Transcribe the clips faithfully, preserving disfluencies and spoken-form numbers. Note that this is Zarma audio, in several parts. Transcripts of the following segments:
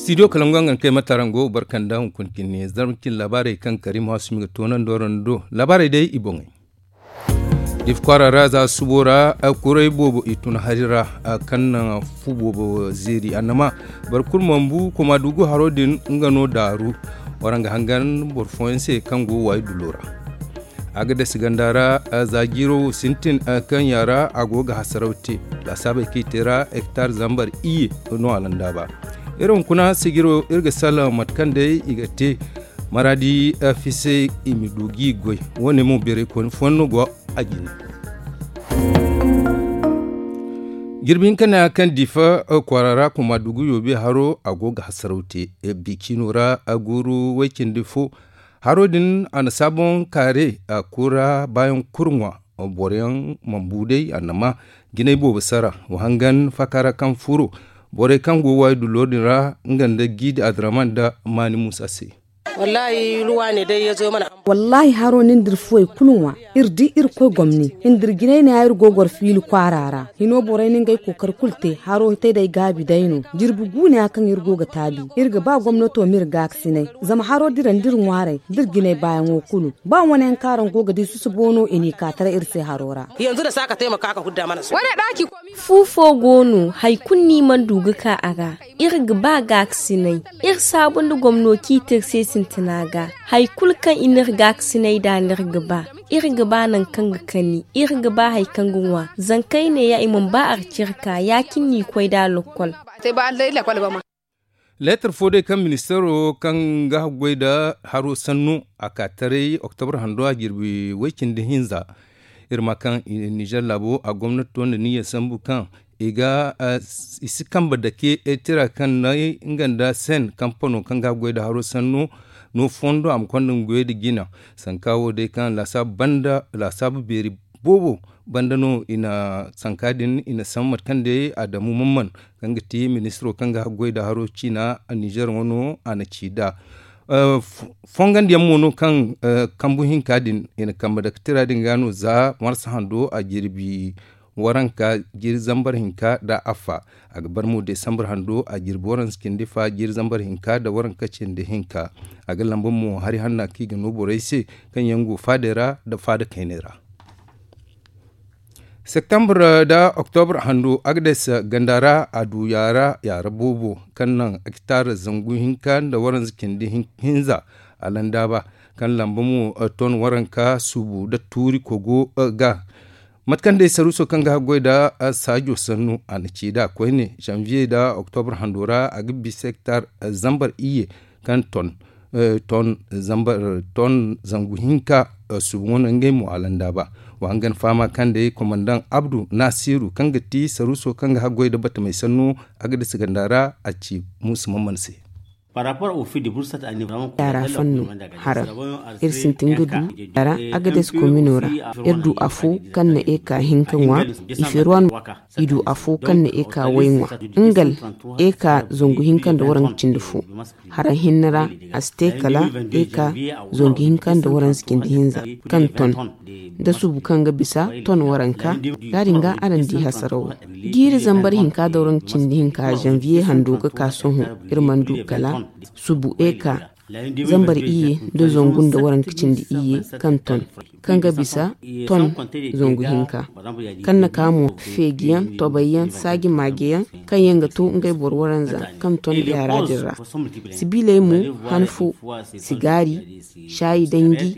Studio kalangu a ga ni kay mate araŋ go barka nda hunkuna cine zarma cine laabaarey kaŋ karim hasumi ga toonandi waraŋ do. Laabaarey day i boŋey. Difa kwaara ra za subo ra kuray boobo i tun hari ra, kaŋ naŋ fu boobo zeeri annama boro kulu mana bu koma dugu haro din nga no daaru. Waraŋ ga hangan boro fooyaŋ se kaŋ go waayi dulo ra. A ga dasi ganda ra za jiiro wo sintin kaŋ yaŋ ra a go ga hasaraw te. Laasaabey kaŋ i te ra hektar zambar iyye no a landaaba. Iri hunkuna sijiro iri ga salaŋ mate kaŋ day i ga te maraadi fise i ma du g'i goy. Wo- ne mo beeraykooni fooyaŋ no go a jine. Jirbi hinka neeya kaŋ difa kwaara ra kuma dugu yoobe haro a go ga hasaraw te. Bi ciino ra guuru way cindi fo. Haro din a na saaboŋ kaare a kura baayaŋ kuru ŋwa. Boro yaŋ mana bu day annama jinay boobo sara wa hangan faaka ra kaŋ furo. Borey kaŋ go waayi dulo din ra nga nda jiidi adraman nda maani muusa se. Wallaahi haro nin da iri fuwey kulu ŋwa. Iri di irkoy gomni nda iri jinay neeya iri go goro fiili kwaara ra. Hino borey na ngey kookari kulu te haro hitay day gaabi day no. Jirbi guuneya kaŋ iri go ga taabi iri ga ba gomnato ma iri gaakasinay. Zama haro diraŋ da iri ŋwaaray da iri jinay baayaŋo kulu. Ba wane yaŋ kaŋ araŋ go ga di susubo no i n'i ka taray iri se haro ra. Fu fo go no hari kulu no i mana du ga ka a ra. Iri ga ba gaakasinay. Iri saabu nda gomno kaŋ i te iri se sintina ga. Hari kulu kaŋ i n'iri gaakasinay nd'a no iri ga ba. Iri ga ba nangu kaŋ ga kani iri ga ba hari kaŋ ga ŋwa. Zankayne ya i mana ba arcirka ya- cine no i koy nd'a lokkol. Leetar fo day kaŋ ministaro kaŋ ga haggoy nda haro sannu a ka taray oktobra hando a jirbi way- cindi hinza. Iri ma kaŋ ninzeer laabo a gomnati to nda niyya sambu kaŋ i ga i si kambe dake tira kaŋ naŋ nga nda sen kampano kaŋ ga haggoy nda haro sannu no fondo a ma konda nga goyey nda jina. Sanka wo day kaŋ laasaabu banda laasaabu beeri boobo banda no i na sanka din i na sambu mate kaŋ day adamu mamman kaŋ ga ti ministiro kaŋ ga haggoy nda haro ciina ninzeer ŋwa no a na ci nd'a. Fongandiyaŋ mo no kaŋ kambu hinka din i na kambe dake tira din ga no za marsa hando a jirbi waranka jiiri zambar hinka nda affa. A ga bar mo desambar hando a jirbi waranza cindi fa jiiri zambar hinka nda waranka cindi hinka. A ga lamba mo hari hanna kaŋ i ga no borey se kaŋ yaŋ go faadey ra nda faada kayney ra. Septembre nda oktobra hando agades ganda ra a du yaara yaara boobo kaŋ naŋ hektar zangu hinka nda waranza cindi hinza a landaaba kaŋ lamba mo ton waranka suubu nda tuuri kogo ga. Mate kaŋ day saruuso kaŋ ga haggoy nda saajo sannu a na ci nd'a koyne zanviye nda oktobra hando ra a ga bisa hektar zambar iyye kaŋ ton ton zangu hinka. Suubu wane ngey mo a landaaba wa hangan fahama kaŋ day komandaŋ abdu nasiru kaŋ ga ti saruuso kaŋ ga haggoy nda batamey sannu a ga dasa ganda ra a ci muusa mamman se. Yaara fanno haraŋ iri sintin ga du yaara agades komino ra. Iri du afo kaŋ na eka hinka ŋwa iferuwan i du afo kaŋ na eka way ŋwa ngal eka zangu hinka nda waranka cindi fo. Haraŋ hinne ra a si te kala eka zangu hinka nda waranka cindi hinza kaŋ ton da suubu kaŋ ga bisa ton waranka. Yaadin ga araŋ di hasarawo jiiri zambar hinka da waranka cindi hinka zanviye hando ga ka sohõ iri mana du kala suubu eka zambar iyye nda zangu nda waranka cindi iyye kaŋ ton kaŋ ga bisa ton zangu hinka kaŋ na ka mo feejiyaŋ tobayyaŋ saaji maajeyaŋ kaŋ yaŋ ga to ngey boro waranza kaŋ ton yaara din ra. Sibiiley mo han fo sigaari caayi danji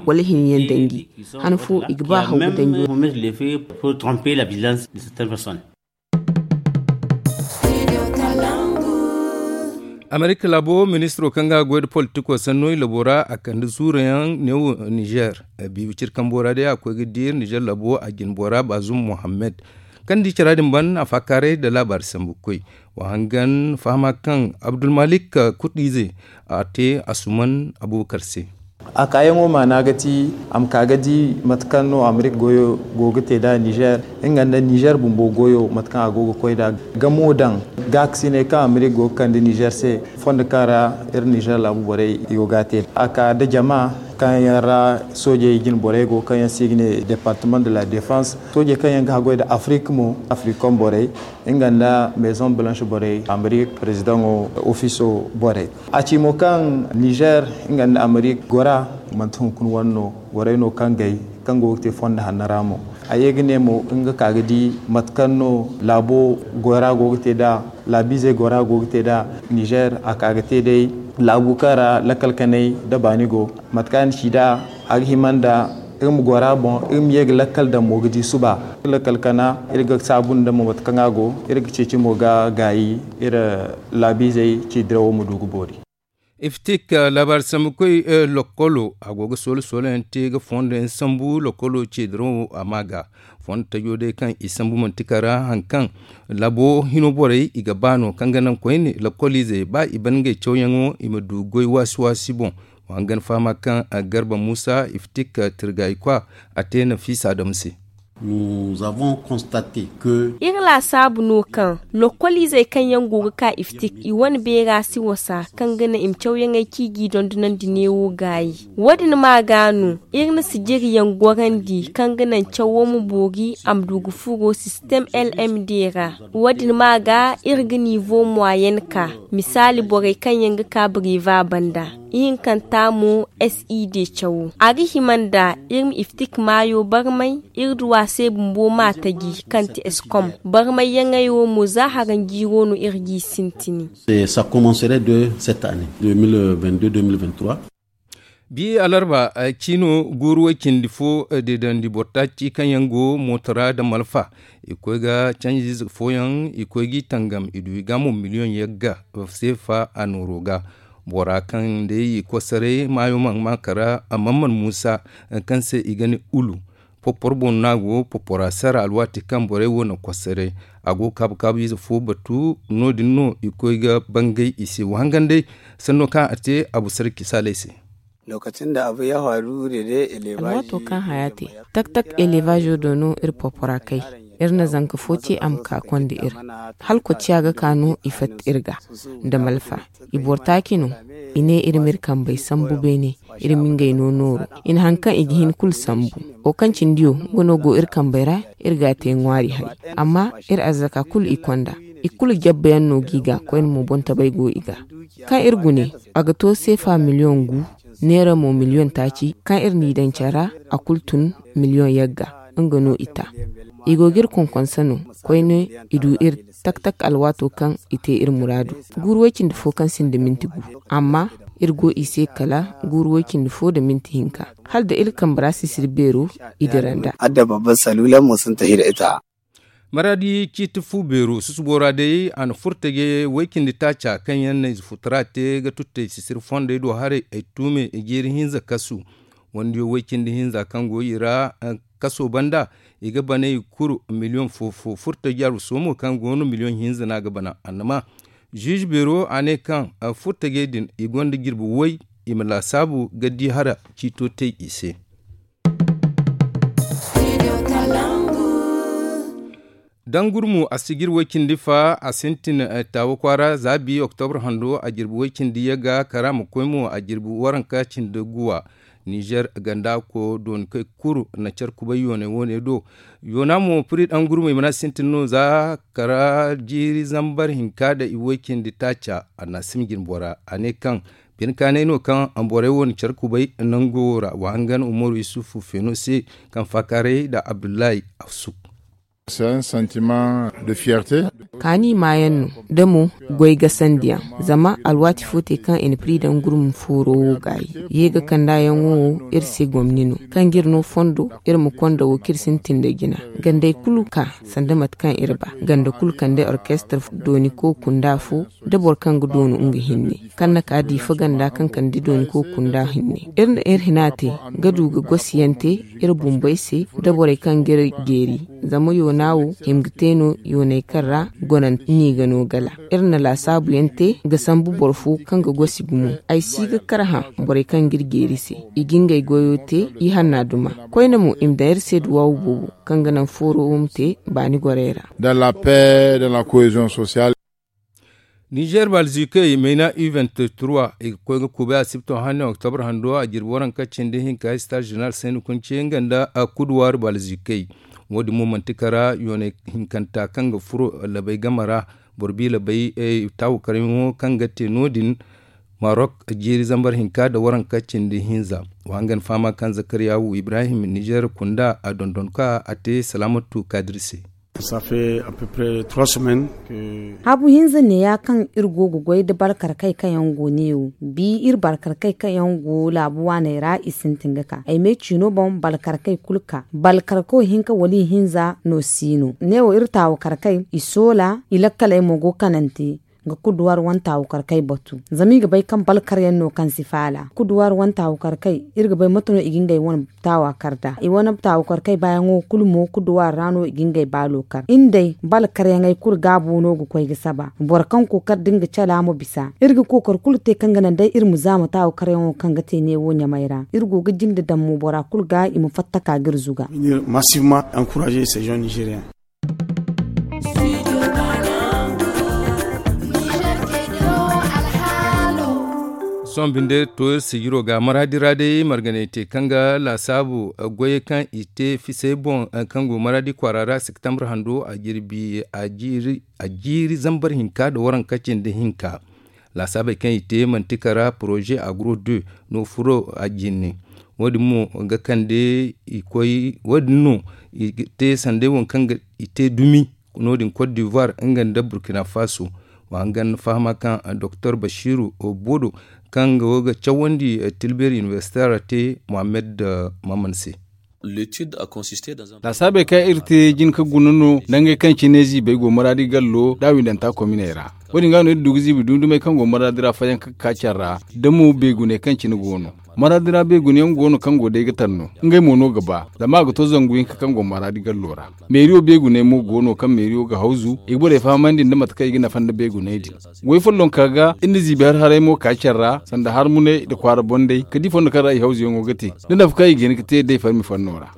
wala hinyaŋ danji han fo i ga ba haw ga danji. Amerika laabo ministiro kaŋ ga goy nda politiko sanno i labo ra a kande zuurayaŋ neewo nizer. Biibi ciri kambo ra day a koy ga diiri nizer labo a jinbo ra baazum mohammed kaŋ di cara din ban a faakaaray nda laabaari sambu koy. Wa hangan fahama kaŋ abdulmalik kut ize a te asuman abubakar se. A kaayaŋo maana ga ti a ma ka ga di mate kaŋ no amerika goyo go ga te nd'a nizer nga nda nizer bumbo goyo mate kaŋ a go ga koy nd'a. Gamo daŋ gaakasiney kaŋ amerika go ga kande nizer se fondo kaŋ ra iri nizer laabu borey i go ga a te a ka nda jama. Kaŋ yaŋ ra soojey jine borey go, kaŋ yaŋ se i ga ne departement de la défense, soojey kaŋ yaŋ ga haggoy nda afrik mo, afrikon borey, nga nda maison blanche borey, amerik prezidaŋo ofiso borey. A ci mo kaŋ nizer nga nda amerik gora, manti hunkuna wane no, goray no kaŋ gay, kaŋ go ga te fondo hanno ra mo. A ye ga ne mo nga ka ga di mate kaŋ no laabo gora go ga te nd'a, laabiizey gora go ga te nd'a. Nizer a ka ga te day laabu kaŋ ra lakkal kanay nda baani go. Mate kaŋ a na ci nd'a, a ga hima nda iri ma gora boŋ, iri ma ye ga lakkal daŋ mo ga di suba. Lakkal kana, iri ga saabu nda mo mate kaŋ a go, iri ga ceeci mo ga gaayi iri laabiizey ci dirawo ma du ga boori. Iftik, laabaari sambukoy, lokkolo a go ga soola soola yaŋ te ga fondo yaŋ sambu lokkolo ce dirawo a ma ga. Fondo tajo day kaŋ i sambu manti kara haŋ kaŋ laabo hino borey i ga ba no kaŋ ga naŋ koyne lokkoliizey ba i ban ngey cawyaŋo i ma du goy waasi waasi boŋ. Wa hangan fahama kaŋ garba muusa iftik tirgayi kwa a te nafiisa adamu se. Iri laasaabu no kaŋ lokkoliizey kaŋ yaŋ go ga ka iftik i wane beera si wasa kaŋ ga naŋ i ma cawyaŋey kaŋ i g'i dondonandi neewo gaayi. Wo- din ma ga no iri na sijiriyaŋ gorandi kaŋ ga naŋ cawo ma boori a ma du ga furo sistem lmd ra. Wo- din ma ga iri ga niivo moyen ka misaali borey kaŋ yaŋ ga ka breva banda ihinkanta mo sid cawo a ga hima nda iri ma iftik maayo barmay. Iri du a se bumbo ma taji kaŋ ti eskom barmayyaŋey wo mo za haranjiiro no iri g'i sintini. Bi alarba ciino guuru way cindi fo deedandi boro taaci kaŋ yaŋ go mooto ra nda malfa i koy ga canjiize fooyaŋ i koy g'i tangam i du i ga mo miliyoŋ yagga seefa a nooro ga. Bora kaŋ day i kosaray maayo mana ma kara a mana mana muusa kaŋ se i ga ne ulu. Popor boŋ no a go popora sara alwaati kaŋ borey wo na kosaray a go kaabu kaabu ize fo batu no- din no i koy ga bangay i se wa hangan day. Sanno kaŋ a te abu sarki saalay se. Alwaato kaŋ haya te tak tak elevazo do no iri popora kay. Iri na zanka fo te a ma ka konda iri hala kociya ga ka no i fatta iri ga nda malfa. I boro taaci no i ne iri ma iri kambey sambu beene. Iri ma ngey no nooru i na haŋ kaŋ i ga hin kulu sambu. Wo kaŋ cindi yo nga no go iri kambey ra iri ga a te ŋwaari hari. Amma iri arzaka kulu i konda i kulu jabba yaŋ no g'i ga koyne mo boŋ tabay go i ga. Kaŋ iri gune a ga to seefa miliyoŋ gu neera mo miliyoŋ taaci kaŋ iri n'i daŋ care ra a kulu tun miliyoŋ yagga. Nga no i ta i go ga iri konkonse no koyne i du iri tak tak alwaato kaŋ i te iri muraadu. Guuru way cindi fo kaŋ sinda minti gu amma iri go i se kala guuru way cindi fo nda minti hinka hala da iri kambe ra sisiri beero i dira nd'a. Adda babban saluula mo sinta hira ita. Maraadi ciiti fu beero susubo ra day a na furtaje way cindi taaca kaŋ yaŋ na ize futara te ga tuttay sisiri fondey do haray ay tuume i jeeri hinza kasu. Wandiyo way cindi hinza kaŋ go i ra kaso banda i ga banay kuru miliyoŋ fo fo furtaje aru soomo kaŋ go no miliyoŋ hinza no a ga bana annama. Ziize beero a ne kaŋ furtajey din i gonda jirbi way i ma laasaabu ga di hara ciito te i se. Dangurmu a si jirbi way cindi fa a sintin taawa kwaara za bi oktobra hando a jirbi way cindi yagga kara ma koy mo a jirbi waranka cindi guwa. Nizer ganda ko dooni kay kuru na care kubay yoonay woone do. Yoona mo piri dangurmey mana sintin no za kara jiiri zambar hinka da i way cindi taaca a na sima jin bora a ne kaŋ bine kaanay no kaŋ borey wo na care kubay nango wo ra wa hangan umaru yusufu feeno se kaŋ faakaaray nda abdullahi afsuk. Kaani maayaŋ no da mo goy gasandiyaŋ. Zama alwaati fo te kaŋ i na piri daŋ gurma fooro wo gaayi ye ga kandaayaŋo wo iri se gomni no kaŋ ga iri no fondo iri ma konda wo kaŋ iri sintin da jina gandey kulu ka sanda mate kaŋ iri ba ganda kulu kande orkestre dooni ko kunda fo da boro kaŋ ga doonu nga hinne kaŋ na ka diifa ganda kaŋ kande dooni ko kunda hinne. Iri na iri hina te ga du ga gosiyaŋ te iri bumbey se da borey kaŋ ga iri jeeri. Zama yoona wo hima ga te no yooney kaŋ ra gonante n'i ga no gala. Iri na laasaabuyaŋ te ga sambu boro fo kaŋ ga gosi gumo. Ay si ga kar hã borey kaŋ ga iri jeeri se i ga ngey goyo te i hanna duma. Koyne mo i ma daŋ iri se duwaawu boobo kaŋ ga naŋ fooro wo ma te baani gorey ra. Dans la paix dans la cohésion sociale. Nizer balzikey mayna u vingt-trois i ga koy ga kubay asibto hane oktobra hando a jirbi waranka cindi hinka star general sayni kunce nga nda kuduwar balzikey. Wo- din mo manti kara yoonay hinkanta kaŋ ga furo labay game ra. Boro bi labay taawu karyaŋo kaŋ ga te no- din marok jiiri zambar hinka nda waranka cindi hinza. Wa hangan fahama kaŋ zakariyawu ibrahim nizer kunda a dondon ka a te salaamatu kaadir se. Habu hinza neeya kaŋ iri go ga goy nda balkarkey kaŋ yaŋ go neewo bi iri balkarkey kaŋ yaŋ go laabu waaney ra i sintin ga ka ay me ciino boŋ balkarkey kulu ka balkarko hinka wala i hinza no si no neewo iri taawakarkey i soola i lakkaley mo go kanante. Ga kuduwar wane taawakarkey batu zama i ga bay kaŋ balkaryaŋ no kaŋ si faala kuduwar wane taawakarkey iri ga bay mate no i ga ngey wane taawa kar nd'a i wane taawa kar kay baayaŋo kulu mo kuduwaari ra no i ga ngey baalo kar iri day bala karyaŋey kulu gaabo no ga koy ga saba boro kaŋ kookari da nga cala ma bisa iri ga kookari kulu te kaŋ ga naŋ day iri ma zaama taawa karyaŋo kaŋ ga te neewo ɲamay ra iri go ga jinde daŋ mo bora kulu ga i ma fatta ka ga iri zuga. Sohõ binde to iri sijiro ga maraadi ra day marganay te kaŋ ga laasaabu goyey kaŋ i te fisey boŋ kaŋ go maraadi kwaara ra septembre hando a jirbi a jiiri zambar hinka nda waranka cindi hinka. Laasaabey kaŋ i te manti kara poroze agro deux no furo a jinne. Wo- din mo ga kande i koy wo- din no i te sanday waŋ kaŋ i te dumi no- din cote d'ivoire nga nda burkina faso. Wa hangan fahama kaŋ doktor bashiru bodo kaŋ go ga cawandi tilbeer universitaire te mohammed maman se. Laasaabey kaŋ iri te jin ka guna no nangey kaŋ cine ziibey go maraadi gallo da windanta kominey ra. Wo- din ga no iri du ga ziibi dumi dumey kaŋ go maraadi ra fayanka ga ka care ra da mo beeguney kaŋ cine go no. Maraadi ra beegunayaŋ go no kaŋ go day ga taŋ no ngey mo no ga ba zama a ga to zangu hinka kaŋ go maraadi gallo ra. Meeriyo beeguney mo go no kaŋ meeriyo ga hawzu i ga borey fahamandi nda mate kaŋ i ga nafa nda beeguney din. Goy follonka ga iri na ziibi har haray mo ka care ra sanda harmuney nda kwaara bondey ka di fondo kaŋ ra i hawzuyaŋo ga te da nafa kaŋ i ga hin ga te day farmi fanno ra.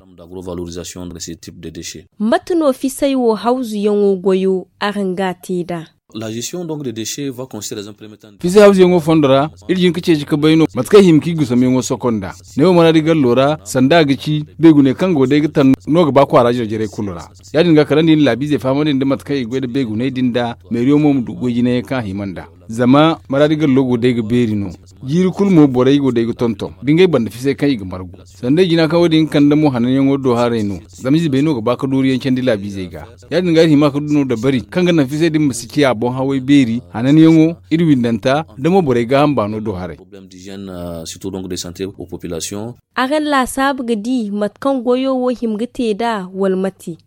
Mate no fisay wo hawzuyaŋo goyo araŋ ga a te nd'a? Fisay hawzuyaŋo fondo ra iri jin ka ceeci ka bay no mate kaŋ i hima ka i gusamyaŋo soko nd'a. Neewo maraadi gallo ra sanda a ga ci beeguney kaŋ go day ga taŋ no ga ba kwaara jare-jarey kulu ra. Ya- din ga kala nda i na laabiizey fahamandi nda mate kaŋ i ga goy nda beeguney din nd'a meeriyo mo ma du goy jinayaŋ kaŋ a hima nd'a. Zama maraadi gallo go day ga beeri no. Jiiri kulu mo borey go day ga tonton da ngey banda fisay kaŋ i ga margu. Sanda i jina kaŋ wo- din ga kande mo hananyaŋo do haray no. Zama izebey no ga ba ka dooriyaŋ candi laabiizey ga. Ya- din ga iri hima ka du no dabari kaŋ ga naŋ fisay din ma si ciya boŋ haway beeri hananyaŋo iri windanta da mo borey gaaham baano do haray. Araŋ laasaabu ga di mate kaŋ goyo wo hima ga te nd'a wala mate?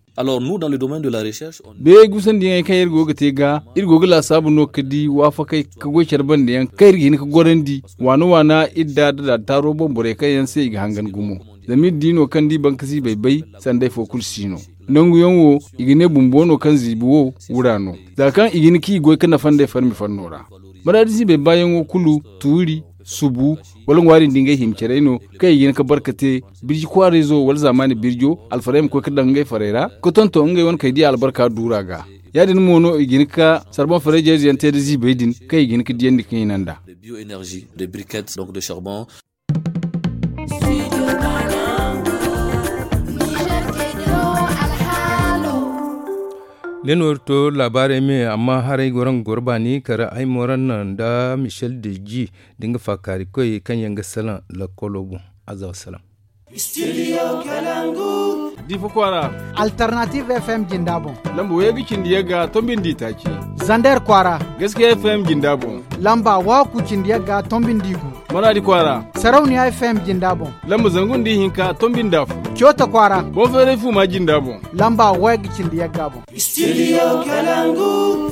Beeyey gusandiyaŋey kaŋ iri go ga te ga iri go ga laasaabu no ka di waafakey ka goy care bandiyaŋ kaŋ iri ga hin ka gorandi waana waana iri da da taaro boŋ borey kaŋ yaŋ se i ga hangan gumo. Zama iri di no kaŋ da i bankasiibey bay sanday fo kulu si no. Nanguyaŋ wo i ga ne bumbo no kaŋ ziibi wo wura no. Za kaŋ i ga hin ka i goy ka nafa nd'ey farmi fanno ra. Maraadi ziibey baayaŋo kulu tuuri subu wala ŋwaari nda ngey hima carey no kaŋ i ga hin ka barka te birji kwaarayzo wala zaamaani birjo alfarey ma koy ka daŋ ngey farey ra ka tonton ngey wane kay diya albarka duura ga. Ya- din mo no i ga hin ka sarban farey jeezeyaŋ te nda ziibey din kaŋ i ga hin ka diyandi ka hina nd'a. Ne no iri to laabaarey me amma haray goro nga goro baani kala ay moran naŋ nda michel deji da nga faakaarikoy kaŋ yaŋ ga salaŋ lakkolo boŋ. Azza wassalam. Studio Kalangu. Difa kwaara. Alternative F M jinda boŋ. Lamba way ga cindi yagga tombi nda itaaci. Zander kwaara. Gaskiya F M jinda boŋ. Lamba waku cindi yagga tombi nda igu. Maradi kwaara. Sarauniya F M jinda boŋ. Lamba zangu nda ihinka tombi nda afo. Coota kwaara. Boŋ feeray fuma jinda boŋ. Lamba way ga cindi yagga boŋ. Studio Kalangu.